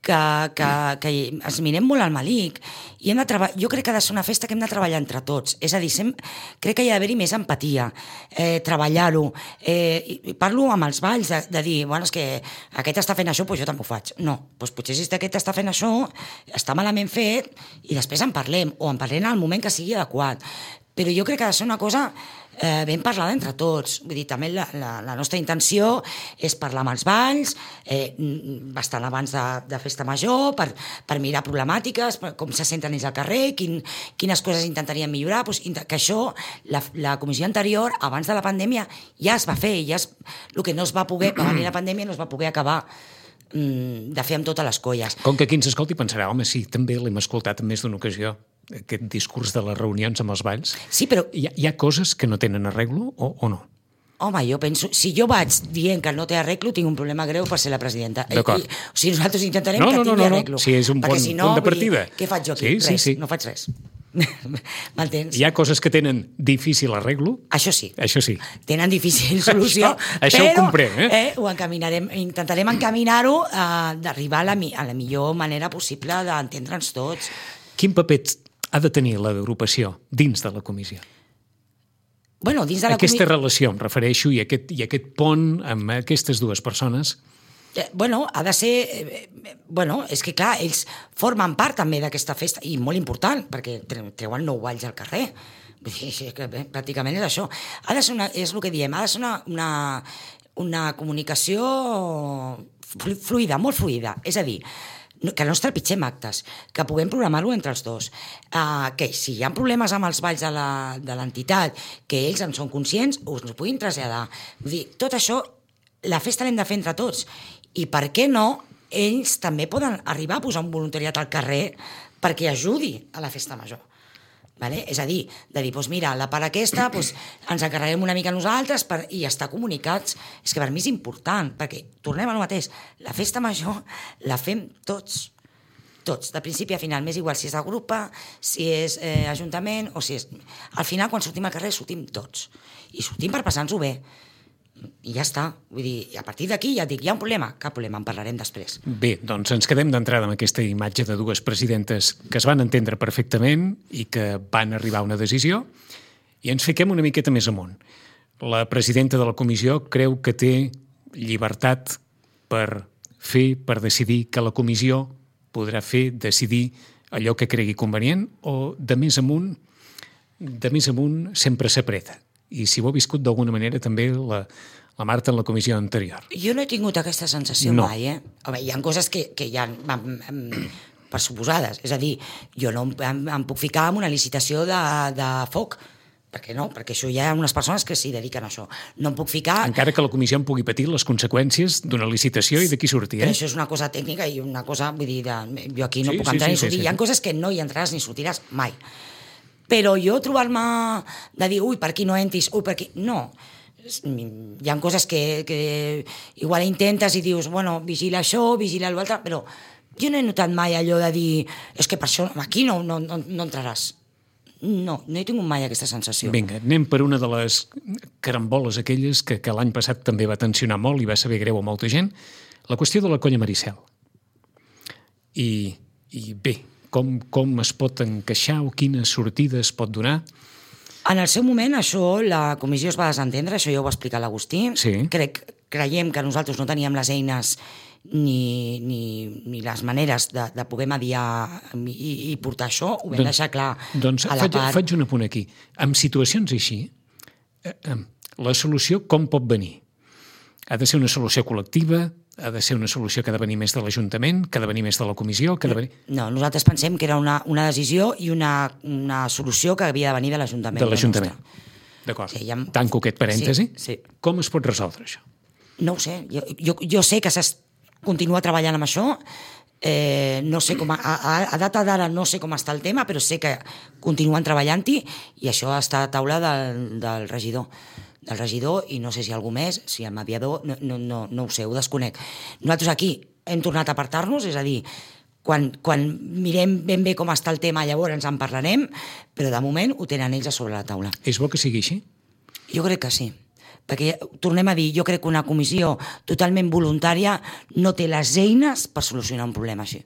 que, que, que ens mirem molt al malic i hem de treballar, jo crec que ha de ser una festa que hem de treballar entre tots, és a dir, sem, crec que hi ha d'haver-hi més empatia, eh, treballar-ho, eh, i, i parlo amb els balls de, de dir, bueno, és que aquest està fent això, doncs jo també ho faig. No, doncs potser si aquest està fent això, està malament fet i després en parlem, o en parlem al moment que sigui adequat. però jo crec que ha de ser una cosa eh, ben parlada entre tots. Vull dir, també la, la, la nostra intenció és parlar amb els balls, eh, bastant abans de, de festa major, per, per mirar problemàtiques, per, com se senten ells al carrer, quin, quines coses intentarien millorar, doncs, que això, la, la comissió anterior, abans de la pandèmia, ja es va fer, ja es, el que no es va poder, per venir la pandèmia, no es va poder acabar de fer amb totes les colles. Com que aquí ens escolti pensarà, home, sí, també l'hem escoltat en més d'una ocasió, aquest discurs de les reunions amb els balls. Sí, però... Hi ha, hi ha coses que no tenen arreglo o, o no? Home, jo penso... Si jo vaig dient que no té arreglo, tinc un problema greu per ser la presidenta. D'acord. I, o sigui, nosaltres intentarem no, que no, tingui no, no, arreglo. No, sí, és un bon si no, punt de partida. Dir, què faig jo aquí? Sí, res, sí, sí. No faig res. M'entens? Hi ha coses que tenen difícil arreglo? Això sí. Això sí. Tenen difícil solució, això, això però ho comprem, eh? eh, ho encaminarem, intentarem encaminar-ho eh, d'arribar a, la, a la millor manera possible d'entendre'ns tots. Quin paper ha de tenir l'agrupació dins de la comissió? Bueno, dins de la Aquesta comi... relació, em refereixo, i aquest, i aquest pont amb aquestes dues persones... Eh, bueno, ha de ser... Eh, bueno, és que clar, ells formen part també d'aquesta festa, i molt important, perquè treuen nou balls al carrer. Vull dir, és que, bé, pràcticament és això. Ha de ser una, és el que diem, ha de ser una, una, una comunicació fluida, molt fluida. És a dir, que no ens trepitgem actes, que puguem programar-ho entre els dos, uh, que si hi ha problemes amb els balls de l'entitat, que ells en són conscients, us ho puguin traslladar. Vull dir, tot això, la festa l'hem de fer entre tots, i per què no, ells també poden arribar a posar un voluntariat al carrer perquè ajudi a la festa major. Vale? És a dir, de dir, doncs mira, la part aquesta doncs ens encarreguem una mica nosaltres per, i estar comunicats. És que per mi és important, perquè tornem al mateix, la festa major la fem tots, tots, de principi a final, m'és igual si és de grup, si és eh, ajuntament o si és... Al final, quan sortim al carrer, sortim tots, i sortim per passar-nos-ho bé. I ja està. Vull dir, a partir d'aquí ja et dic, hi ha un problema? Cap problema, en parlarem després. Bé, doncs ens quedem d'entrada amb aquesta imatge de dues presidentes que es van entendre perfectament i que van arribar a una decisió, i ens fiquem una miqueta més amunt. La presidenta de la comissió creu que té llibertat per fer, per decidir que la comissió podrà fer, decidir allò que cregui convenient, o de més amunt, de més amunt sempre s'apreta. I si ho ha viscut d'alguna manera també la, la Marta en la comissió anterior. Jo no he tingut aquesta sensació no. mai, eh? Home, hi ha coses que, que hi ha per suposades. És a dir, jo no em, em puc ficar en una licitació de, de foc, perquè no, perquè això hi ha unes persones que s'hi dediquen a això. No em puc ficar... Encara que la comissió en pugui patir les conseqüències d'una licitació i d'aquí sortir, eh? Però això és una cosa tècnica i una cosa, vull dir, de, jo aquí no sí, puc sí, entrar sí, ni sortir. sí, sí. Hi ha coses que no hi entraràs ni sortiràs mai. Però jo trobar-me de dir, ui, per aquí no entris, ui, per aquí... No. Hi ha coses que, que igual intentes i dius, bueno, vigila això, vigila l'altre, però jo no he notat mai allò de dir, és que per això aquí no, no, no, no entraràs. No, no he tingut mai aquesta sensació. Vinga, anem per una de les caramboles aquelles que, que l'any passat també va tensionar molt i va saber greu a molta gent, la qüestió de la colla Maricel. I, i bé, com, com es pot encaixar o quines sortides pot donar? En el seu moment, això, la comissió es va desentendre, això ja ho va explicar l'Agustí. Sí. Crec, creiem que nosaltres no teníem les eines ni, ni, ni les maneres de, de poder mediar i, i portar això, ho vam doncs, deixar clar doncs a la faig, part... faig un apunt aquí. En situacions així, eh, eh, la solució com pot venir? Ha de ser una solució col·lectiva? Ha de ser una solució que ha de venir més de l'Ajuntament, que ha de venir més de la comissió, que ha de venir... No, nosaltres pensem que era una, una decisió i una, una solució que havia de venir de l'Ajuntament. De l'Ajuntament. D'acord. Sí, ha... Tanco aquest parèntesi. Sí, sí. Com es pot resoldre això? No ho sé. Jo, jo, jo sé que s'es continua treballant amb això. Eh, no sé com a, a, a data d'ara no sé com està el tema, però sé que continuen treballant-hi i això està a taula del, del regidor. del regidor, i no sé si algú més, si el mediador, no, no, no, no ho sé, ho desconec. Nosaltres aquí hem tornat a apartar-nos, és a dir, quan, quan mirem ben bé com està el tema, llavors ens en parlarem, però de moment ho tenen ells a sobre la taula. És bo que sigui així? Jo crec que sí. Perquè, tornem a dir, jo crec que una comissió totalment voluntària no té les eines per solucionar un problema així.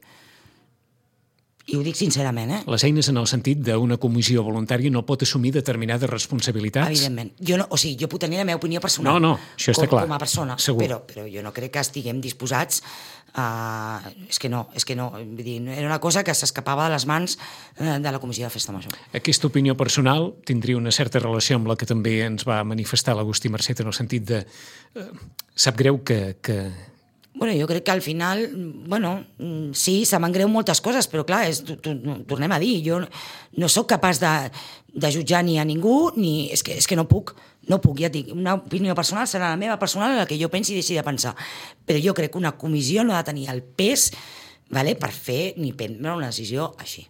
I ho dic sincerament, eh? Les eines en el sentit d'una comissió voluntària no pot assumir determinades responsabilitats? Evidentment. Jo no, o sigui, jo puc tenir la meva opinió personal. No, no, això està com, clar. Com a persona. Segur. Però, però jo no crec que estiguem disposats Uh, és que no, és que no. Vull dir, era una cosa que s'escapava de les mans uh, de la Comissió de Festa Major. Aquesta opinió personal tindria una certa relació amb la que també ens va manifestar l'Agustí Marcet, en el sentit de... Uh, sap greu que... que... Bueno, jo crec que al final, bueno, sí, se m'han greu moltes coses, però clar, és, tu, tu, tornem a dir, jo no sóc capaç de, de jutjar ni a ningú, ni... És que, és que no puc, no puc, ja et dic, una opinió personal serà la meva personal, la que jo pensi i deixi de pensar. Però jo crec que una comissió no ha de tenir el pes, vale, per fer ni prendre una decisió així.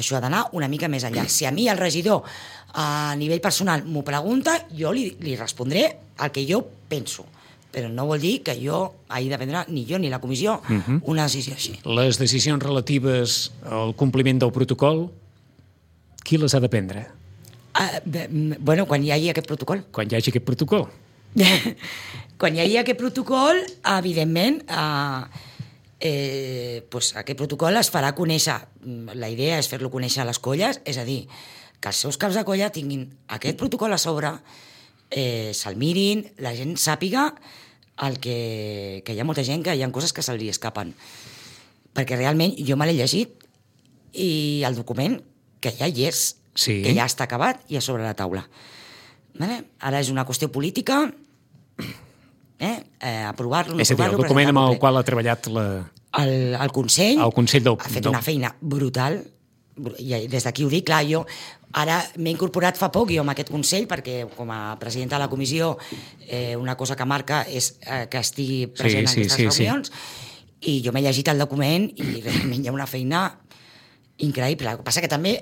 Això ha d'anar una mica més enllà. Si a mi el regidor a nivell personal m'ho pregunta, jo li, li respondré el que jo penso. Però no vol dir que jo hagi de prendre, ni jo ni la comissió, uh-huh. una decisió així. Les decisions relatives al compliment del protocol, qui les ha de prendre? Uh, bueno, quan hi hagi aquest protocol. Quan hi hagi aquest protocol. Quan hi hagi aquest protocol, evidentment, uh, eh, pues aquest protocol es farà conèixer. La idea és fer-lo conèixer a les colles, és a dir, que els seus caps de colla tinguin aquest protocol a sobre, eh, se'l mirin, la gent sàpiga el que, que hi ha molta gent que hi ha coses que se li escapen. Perquè realment jo me l'he llegit i el document que ja hi és, sí. que ja està acabat i a sobre la taula. Vale? Ara és una qüestió política, eh? Eh, aprovar-lo, no és a dir, el document amb el qual ha treballat la... el, el Consell, el Consell del... ha fet una feina brutal, i des d'aquí ho dic, clar, jo ara m'he incorporat fa poc jo amb aquest Consell, perquè com a presidenta de la comissió eh, una cosa que marca és eh, que estigui present sí, en aquestes sí, reunions, sí. I jo m'he llegit el document i realment hi ha una feina increïble. El que passa que també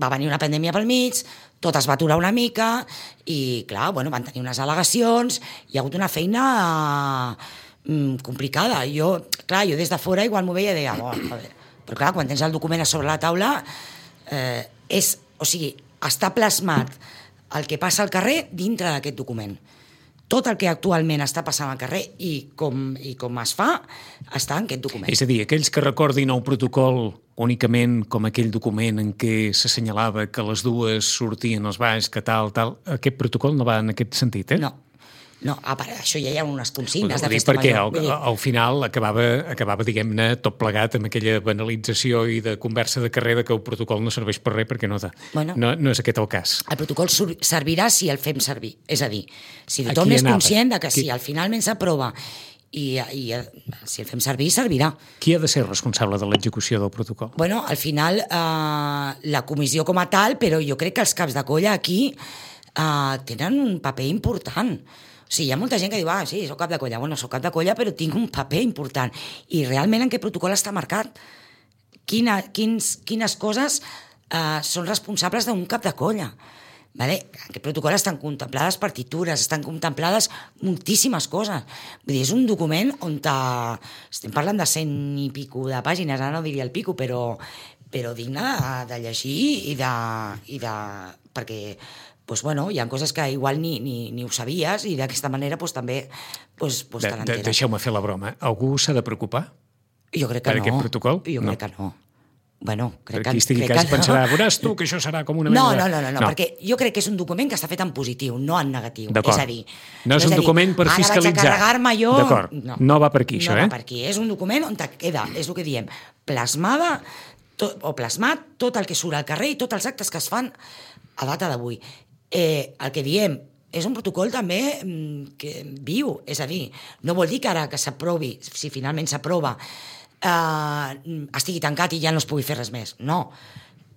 va venir una pandèmia pel mig, tot es va aturar una mica i, clar, bueno, van tenir unes al·legacions, hi ha hagut una feina mm, complicada. Jo, clar, jo des de fora igual m'ho veia i deia, oh, a veure, però clar, quan tens el document a sobre la taula, eh, és, o sigui, està plasmat el que passa al carrer dintre d'aquest document. Tot el que actualment està passant al carrer i com, i com es fa, està en aquest document. És a dir, aquells que recordin el protocol únicament com aquell document en què s'assenyalava que les dues sortien als balls, que tal, tal, aquest protocol no va en aquest sentit, eh? No. No, a part, això ja hi ha unes consignes de festa major. Perquè al, al final acabava, acabava diguem-ne, tot plegat amb aquella banalització i de conversa de carrer de que el protocol no serveix per res perquè no, bueno, no, no és aquest el cas. El protocol servirà si el fem servir. És a dir, si tothom és conscient de que Aquí... si al finalment s'aprova i, i si el fem servir, servirà. Qui ha de ser responsable de l'execució del protocol? Bueno, al final, eh, la comissió com a tal, però jo crec que els caps de colla aquí eh, tenen un paper important. O sigui, hi ha molta gent que diu, ah, sí, soc cap de colla. Bueno, soc cap de colla, però tinc un paper important. I realment en què protocol està marcat? Quina, quins, quines coses eh, són responsables d'un cap de colla? Vale? En aquest protocol estan contemplades partitures, estan contemplades moltíssimes coses. Vull dir, és un document on ta... estem parlant de cent i pico de pàgines, ara no diria el pico, però, però digne de, de llegir i de... I de perquè... Pues bueno, hi ha coses que igual ni, ni, ni ho sabies i d'aquesta manera pues, també pues, pues, te l'enteres. De, deixeu-me fer la broma. Algú s'ha de preocupar? Jo crec que per no. Per aquest protocol? Jo no. crec que no. Bueno, crec per qui estigui crec cas que pensarà, no. veuràs tu que això serà com una no, mena de... No, no, no, no, no, perquè jo crec que és un document que està fet en positiu, no en negatiu. D'acord. És a dir... No és un document per fiscalitzar. Ara vaig a carregar-me jo... D'acord, no. no va per aquí, això, no eh? No va per aquí, és un document on queda, és el que diem, plasmada, tot, o plasmat tot el que surt al carrer i tots els actes que es fan a data d'avui. Eh, el que diem és un protocol també que viu, és a dir, no vol dir que ara que s'aprovi, si finalment s'aprova, eh, estigui tancat i ja no es pugui fer res més. No.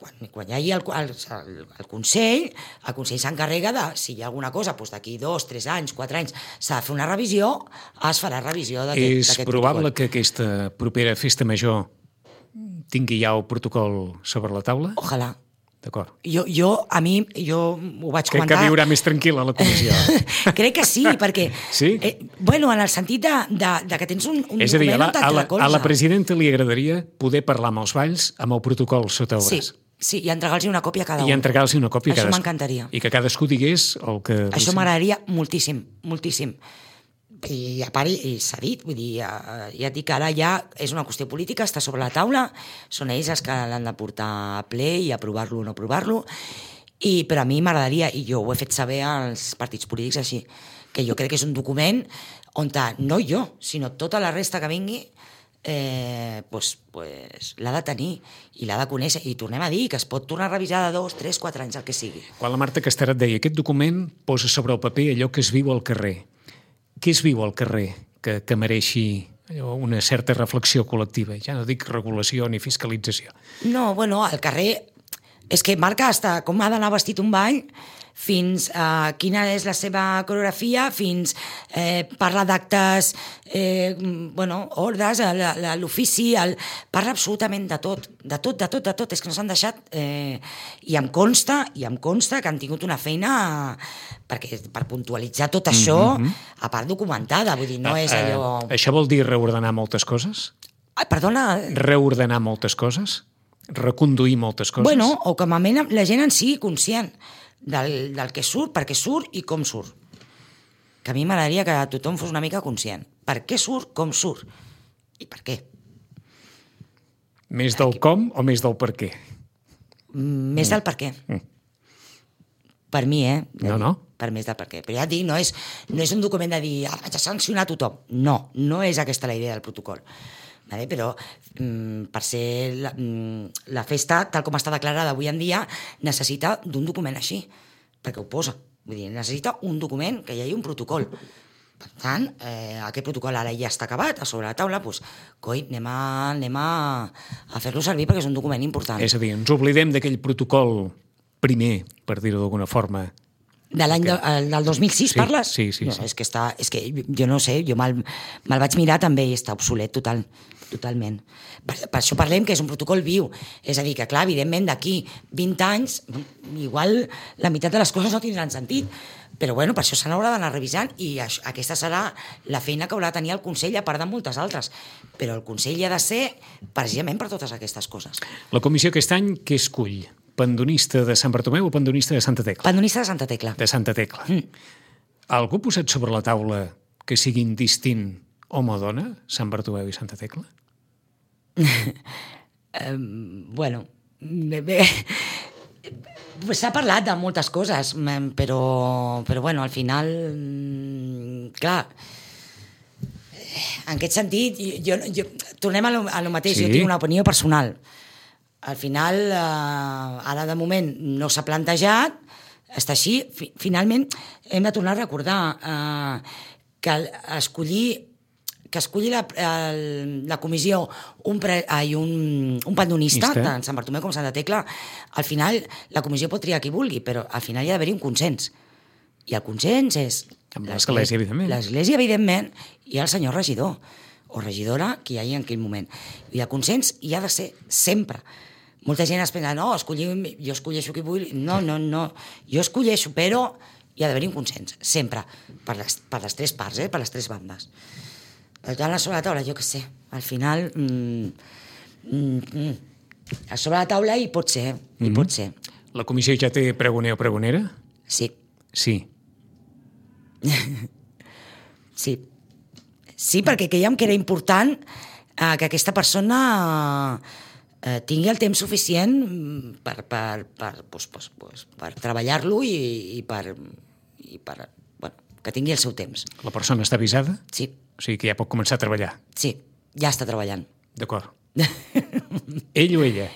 Quan, quan hi hagi el, el, el, el Consell, el Consell s'encarrega de, si hi ha alguna cosa, doncs d'aquí dos, tres anys, quatre anys, s'ha de fer una revisió, es farà revisió d'aquest protocol. És probable que aquesta propera festa major tingui ja el protocol sobre la taula? Ojalà. D'acord. Jo, jo, a mi, jo ho vaig Crec comentar... que viurà més tranquil·la la comissió. Crec que sí, perquè... Sí? Eh, bueno, en el sentit de, de, de que tens un, un és a dir, a la, document on te'n a, la, a la presidenta li agradaria poder parlar amb els balls amb el protocol sota el braç. Sí, sí, i entregar-los una còpia a cada un. I entregar-los una còpia a cadascú. Això m'encantaria. I que cadascú digués el que... Això m'agradaria moltíssim, moltíssim. I a part, i s'ha dit, vull dir, ja, ja et dic que ara ja és una qüestió política, està sobre la taula, són ells els que l'han de portar a ple i aprovar-lo o no aprovar-lo, i, però a mi m'agradaria, i jo ho he fet saber als partits polítics així, que jo crec que és un document on, no jo, sinó tota la resta que vingui, eh, pues, pues, l'ha de tenir i l'ha de conèixer. I tornem a dir que es pot tornar a revisar de dos, tres, quatre anys, el que sigui. Quan la Marta Casterat deia aquest document posa sobre el paper allò que es viu al carrer. Què es viu al carrer que, que mereixi una certa reflexió col·lectiva? Ja no dic regulació ni fiscalització. No, bueno, al carrer és que marca hasta com ha d'anar vestit un ball, fins a uh, quina és la seva coreografia, fins eh, parla d'actes, eh, bueno, ordres, l'ofici, el... parla absolutament de tot, de tot, de tot, de tot. És que no s'han deixat... Eh, I em consta, i em consta que han tingut una feina perquè, per puntualitzar tot això, mm-hmm. a part documentada, vull dir, no és allò... Uh, això vol dir reordenar moltes coses? Ai, perdona... Reordenar moltes coses? Reconduir moltes coses? Bueno, o com a mínim la gent en sigui conscient del, del que surt, per què surt i com surt. Que a mi m'agradaria que tothom fos una mica conscient. Per què surt, com surt i per què. Més del com o més del per què? Més del per què. Mm. Per mi, eh? No, no. Per més del per què. Però ja et dic, no és, no és un document de dir ah, vaig a sancionar tothom. No, no és aquesta la idea del protocol. Vale? Però mm, per ser la, mm, la festa, tal com està declarada avui en dia, necessita d'un document així, perquè ho posa. Vull dir, necessita un document, que hi hagi un protocol. Per tant, eh, aquest protocol ara ja està acabat, a sobre la taula, doncs, coi, anem a, anem a, a fer-lo servir perquè és un document important. És a dir, ens oblidem d'aquell protocol primer, per dir-ho d'alguna forma. De l'any de, del dos mil sis, sí, parles? Sí, sí. No, sí. És que està, és que jo no sé, jo me'l me vaig mirar també i està obsolet total, totalment. Per, per això parlem que és un protocol viu. És a dir, que clar, evidentment d'aquí vint anys, igual la meitat de les coses no tindran sentit, però bueno, per això se n'haurà d'anar revisant i això, aquesta serà la feina que haurà de tenir el Consell, a part de moltes altres. Però el Consell hi ha de ser precisament per totes aquestes coses. La comissió aquest any què escull? Pandonista de Sant Bartomeu o pandonista de Santa Tecla? Pandonista de Santa Tecla. De Santa Tecla. Mm. Algú ha posat sobre la taula que siguin distint home o dona, Sant Bartomeu i Santa Tecla? um, bueno, bé, bé. S'ha parlat de moltes coses, però, però bueno, al final, clar, en aquest sentit, jo, jo, tornem a lo, a lo mateix, sí. Jo tinc una opinió personal. Al final, eh, ara de moment no s'ha plantejat, està així. Fi, finalment, hem de tornar a recordar eh, que escollir que escolli la, el, la comissió un, pre, ai, un, un pandonista, Ista. tant Sant Bartomeu com Santa Tecla, al final la comissió pot triar qui vulgui, però al final hi ha d'haver-hi un consens. I el consens és... Amb l'església, evidentment. L'església, evidentment, i el senyor regidor, o regidora, que hi hagi en aquell moment. I el consens hi ha de ser sempre. Molta gent es pensa, no, escollim, jo escolleixo qui vull. No, no, no. Jo escolleixo, però hi ha d'haver-hi un consens, sempre, per les, per les tres parts, eh, per les tres bandes. Per tant, a sobre la taula, jo què sé, al final, mm, mm, mm, a sobre la taula hi pot ser, hi mm-hmm. pot ser. La comissió ja té pregoner o pregonera? Sí. Sí. Sí. Sí, perquè creiem que era important eh, que aquesta persona eh, tingui el temps suficient per, per, per, pues, pues, pues, per treballar-lo i, i, per, i per, bueno, que tingui el seu temps. La persona està avisada? Sí. O sigui que ja pot començar a treballar? Sí, ja està treballant. D'acord. Ell o ella?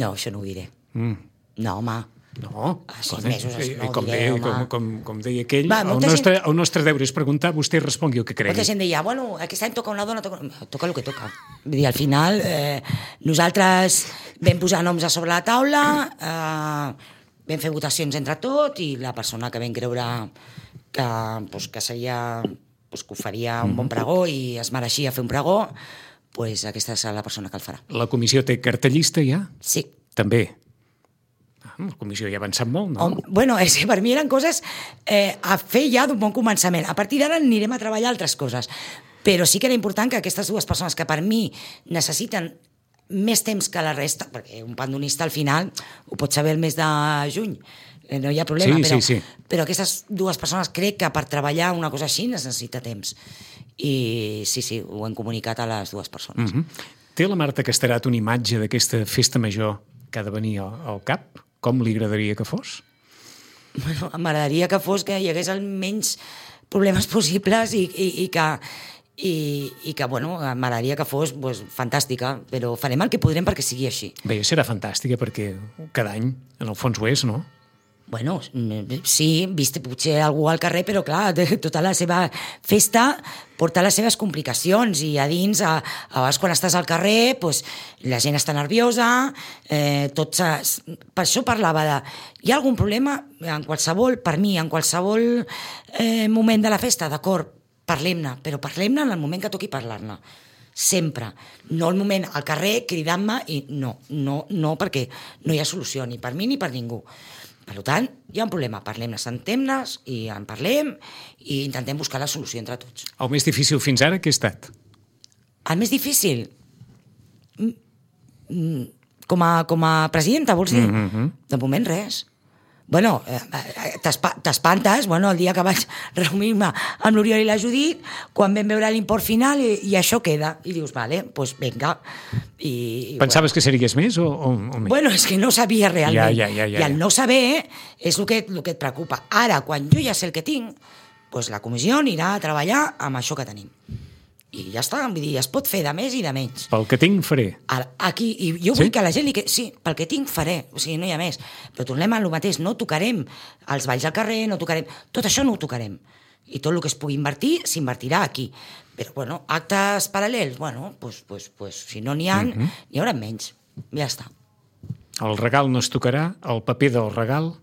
No, això no ho diré. Mm. No, home. No. A sis mesos no ho com diré, deia, home. Com, com, com deia aquell, Va, el, nostre, gent... el nostre deure és preguntar, vostè respongui el que cregui. Molta gent deia, bueno, aquest any toca una dona, toca, toca el que toca. Vull dir, al final, eh, nosaltres vam posar noms a sobre la taula, eh, vam fer votacions entre tot, i la persona que vam creure que, pues, que seria... Pues, que ho faria un bon pregó i es mereixia fer un pregó, pues, aquesta és la persona que el farà. La comissió té cartellista ja? Sí. També? Ah, la comissió ja ha avançat molt, no? Oh, bueno, és que per mi eren coses eh, a fer ja d'un bon començament. A partir d'ara anirem a treballar altres coses. Però sí que era important que aquestes dues persones que per mi necessiten més temps que la resta, perquè un pandonista al final ho pot saber el mes de juny, no hi ha problema, sí, però, sí, sí. però aquestes dues persones crec que per treballar una cosa així necessita temps. I sí, sí, ho hem comunicat a les dues persones. Mm-hmm. Té la Marta Casterat una imatge d'aquesta festa major que ha de venir al, al cap? Com li agradaria que fos? Bueno, m'agradaria que fos que hi hagués el menys problemes possibles i, i, i, que, i, i que, bueno, m'agradaria que fos pues, fantàstica, però farem el que podrem perquè sigui així. Bé, serà fantàstica perquè cada any, en el fons ho és, no? Bueno, sí, vist potser algú al carrer, però clar, tota la seva festa porta les seves complicacions i a dins, a, a vegades quan estàs al carrer, pues, la gent està nerviosa, eh, tot per això parlava de... Hi ha algun problema en qualsevol, per mi, en qualsevol eh, moment de la festa, d'acord, parlem-ne, però parlem-ne en el moment que toqui parlar-ne. Sempre. No el moment al carrer cridant-me i no, no, no, perquè no hi ha solució ni per mi ni per ningú. Per tant, hi ha un problema, parlem-ne, sentem-nos i en parlem i intentem buscar la solució entre tots. El més difícil fins ara, què ha estat? El més difícil? Com a, com a presidenta, vols dir? Mm-hmm. De moment, res. Bueno, t'espantes, bueno, el dia que vaig reunir-me amb l'Oriol i la Judit, quan vam veure l'import final i, i això queda. I dius, vale, pues venga. I, Pensaves bueno. que series més o, o, o més? Bueno, és que no sabia realment. Ja, ja, ja, ja, I el ja. no saber és el que, el que et preocupa. Ara, quan jo ja sé el que tinc, pues la comissió anirà a treballar amb això que tenim. I ja està, vull dir, es pot fer de més i de menys. Pel que tinc, faré. Ara, aquí, i jo vull sí? que la gent li... Que... Sí, pel que tinc, faré. O sigui, no hi ha més. Però tornem a lo mateix. No tocarem els balls al carrer, no tocarem... Tot això no ho tocarem. I tot el que es pugui invertir, s'invertirà aquí. Però, bueno, actes paral·lels, bueno, pues, pues, pues, si no n'hi ha, mm-hmm. n'hi haurà menys. Ja està. El regal no es tocarà, el paper del regal...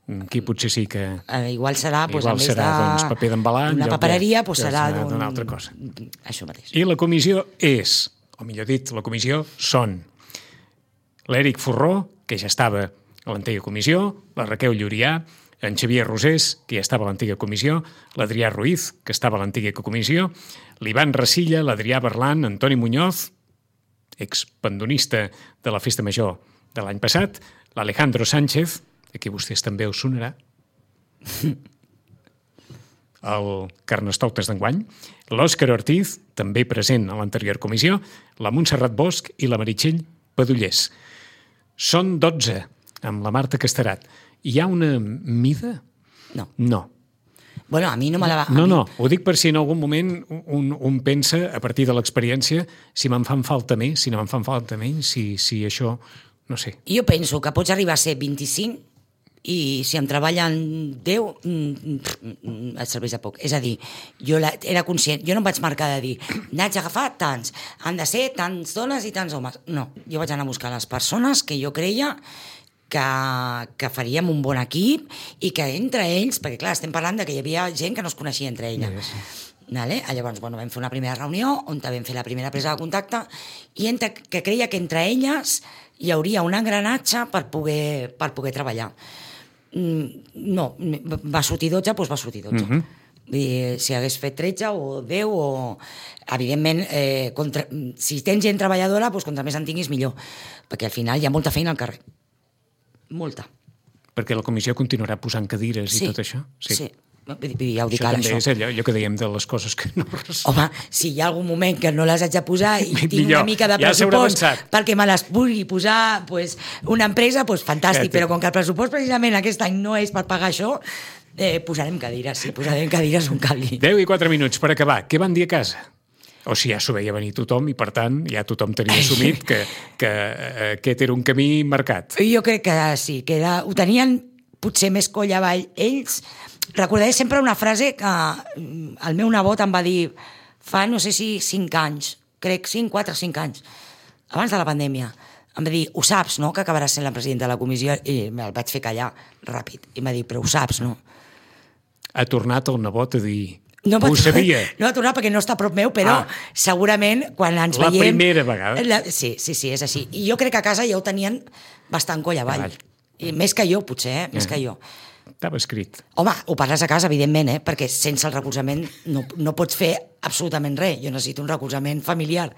Aquí potser sí que... Uh, igual serà, pues, igual en vez serà de... doncs, paper d'embalar... Una papereria, pues, serà d'una altra cosa. Això mateix. I la comissió és, o millor dit, la comissió són l'Eric Forró, que ja estava a l'antiga comissió, la Raquel Llurià, en Xavier Rosés, que ja estava a l'antiga comissió, l'Adrià Ruiz, que estava a l'antiga comissió, l'Ivan Rasilla, l'Adrià Berlan, Antoni Muñoz, expandonista de la Festa Major de l'any passat, l'Alejandro Sánchez, aquí vostès també us sonarà, el Carnestoltes d'enguany, l'Òscar Ortiz, també present a l'anterior comissió, la Montserrat Bosch i la Meritxell Padullés. Són dotze, amb la Marta Casterat. Hi ha una mida? No. No. Bueno, a mi no me la va... No, no, ho dic per si en algun moment un, un pensa, a partir de l'experiència, si me'n fan falta més, si no me'n fan falta menys, si, si això... No sé. Jo penso que pots arribar a ser vint-i-cinc i si em treballen deu, et serveix de poc. És a dir, jo la, era conscient, jo no em vaig marcar de dir n'haig d'agafar tants, han de ser tants dones i tants homes. No, jo vaig anar a buscar les persones que jo creia que, que faríem un bon equip i que entre ells, perquè clar, estem parlant de que hi havia gent que no es coneixia entre ella. Sí, sí. Vale? Llavors, bueno, vam fer una primera reunió on vam fer la primera presa de contacte i entre, que creia que entre elles hi hauria un engranatge per poder, per poder treballar. No, va sortir dotze, doncs va sortir dotze. Uh-huh. Vull dir, si hagués fet tretze o deu o... Evidentment, eh, contra... si tens gent treballadora, doncs contra més en tinguis millor, perquè al final hi ha molta feina al carrer. Molta. Perquè la comissió continuarà posant cadires sí, i tot això? Sí, sí. Ja ho dic això ara, també això. És allò, allò que dèiem de les coses que no... Home, si hi ha algun moment que no les haig de posar i tinc millor, una mica de ja pressupost perquè me les pugui posar pues, una empresa, pues, fantàstic, ja, però com que el pressupost precisament aquest any no és per pagar això, eh, posarem cadires, sí, posarem cadires on calgui. deu i quatre minuts per acabar. Què van dir a casa? O si ja s'ho veia venir tothom i, per tant, ja tothom tenia assumit que, que eh, aquest era un camí marcat. Jo crec que sí, que era, ho tenien potser més coll avall ells. Recordaré sempre una frase que el meu nebot em va dir fa, no sé si cinc anys, crec cinc, quatre, cinc anys, abans de la pandèmia. Em va dir, ho saps, no?, que acabaràs sent la presidenta de la comissió? I el vaig fer callar ràpid. I em va dir, però ho saps, no? Ha tornat el nebot a dir... No ho sabia. No va tornar perquè no està a prop meu, però ah, segurament quan ens la veiem... La primera vegada. La, sí, sí, sí, és així. I jo crec que a casa ja ho tenien bastant coll avall. I més que jo, potser, eh? Més eh. que jo. Estava escrit. Home, ho parles a casa, evidentment, eh? Perquè sense el recolzament no, no pots fer absolutament res. Jo necessito un recolzament familiar.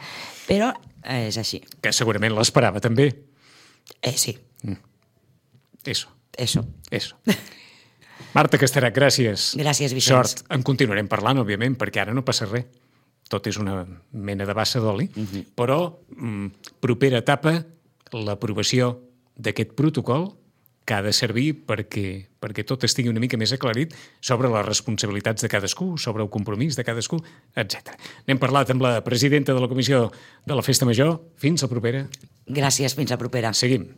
Però eh, és així. Que segurament l'esperava, també. Eh, sí. Mm. Eso. Eso. Eso. Marta Casterat, gràcies. Gràcies, Vicenç. Sort. En continuarem parlant, òbviament, perquè ara no passa res. Tot és una mena de bassa d'oli. Mm-hmm. Però, mm, propera etapa, l'aprovació d'aquest protocol que ha de servir perquè, perquè tot estigui una mica més aclarit sobre les responsabilitats de cadascú, sobre el compromís de cadascú, etcètera. N'hem parlat amb la presidenta de la Comissió de la Festa Major. Fins la propera. Gràcies, fins la propera. Seguim.